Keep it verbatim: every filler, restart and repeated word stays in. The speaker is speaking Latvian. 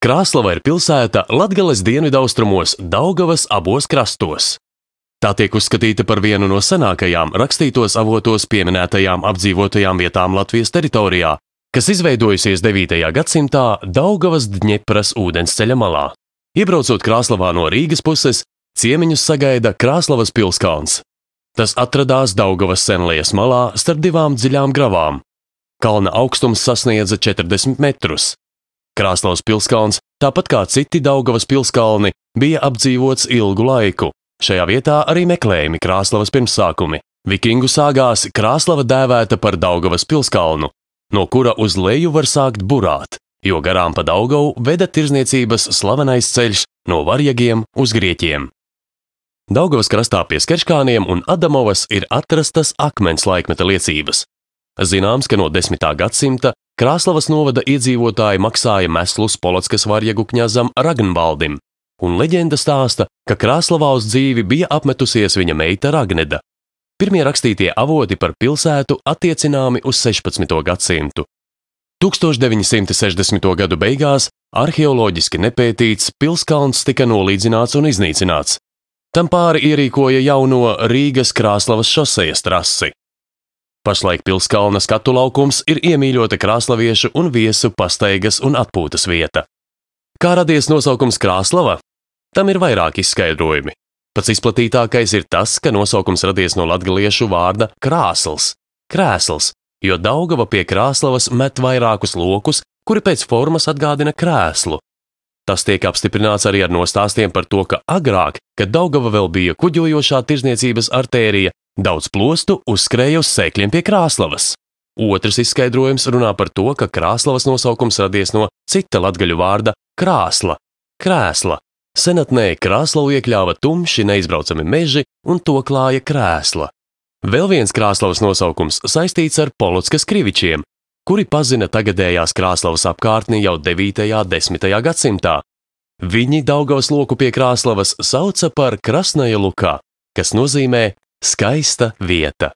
Krāslava ir pilsēta Latgales dienvidaustrumos, Daugavas abos krastos. Tā tiek uzskatīta par vienu no senākajām rakstītos avotos pieminētajām apdzīvotajām vietām Latvijas teritorijā, kas izveidojusies devītajā gadsimtā Daugavas Dņepras ūdensceļa malā. Iebraucot Krāslavā no Rīgas puses, ciemiņus sagaida Krāslavas pilskalns. Tas atradās Daugavas Senlijas malā starp divām dziļām gravām. Kalna augstums sasniedza četrdesmit metrus. Krāslavas pilskalns, tāpat kā citi Daugavas pilskalni, bija apdzīvots ilgu laiku. Šajā vietā arī meklējami Krāslavas pirmsākumi. Vikingu sāgās Krāslava dēvēta par Daugavas pilskalnu, no kura uz leju var sākt burāt, jo garām pa Daugavu veda tirzniecības slavenais ceļš no Varjagiem uz Grieķiem. Daugavas krastā pie Skerškāniem un Adamovas ir atrastas akmens laikmeta liecības. Zināms, ka no desmitā gadsimta Krāslavas novada iedzīvotāji maksāja meslus Polockas varjagu kņazam Ragnvaldim, un leģenda stāsta, ka Krāslavā uz dzīvi bija apmetusies viņa meita Ragneda. Pirmie rakstītie avoti par pilsētu attiecināmi uz sešpadsmito gadsimtu. tūkstoš deviņi simti sešdesmito gadu beigās arheoloģiski nepētīts pilskalns tika nolīdzināts un iznīcināts. Tam pāri ierīkoja jauno Rīgas Krāslavas šosejas trasi. Pašlaik pilskalna skatu laukums ir iemīļota krāslaviešu un viesu pastaigas un atpūtas vieta. Kā radies nosaukums Krāslava? Tam ir vairāk izskaidrojumi. Pats izplatītākais ir tas, ka nosaukums radies no latgaliešu vārda krāsls, krēsls, jo Daugava pie Krāslavas met vairākus lokus, kuri pēc formas atgādina krēslu. Tas tiek apstiprināts arī ar nostāstiem par to, ka agrāk, kad Daugava vēl bija kuģojošā tirzniecības artērija, daudz plostu uzskrēja uz sēkļiem pie Krāslavas. Otrs izskaidrojums runā par to, ka Krāslavas nosaukums radies no cita latgaļu vārda krāsla, krēsla. Senatnē Krāslavu iekļāva tumši neizbraucami meži un to klāja krēsla. Vēl viens Krāslavas nosaukums saistīts ar Polockas krivičiem, kuri pazina tagadējās Krāslavas apkārtni jau devītajā, desmitajā gadsimtā. Viņi Daugavas loku pie Krāslavas sauca par Krasnaja Lukā, kas nozīmē skaista vieta.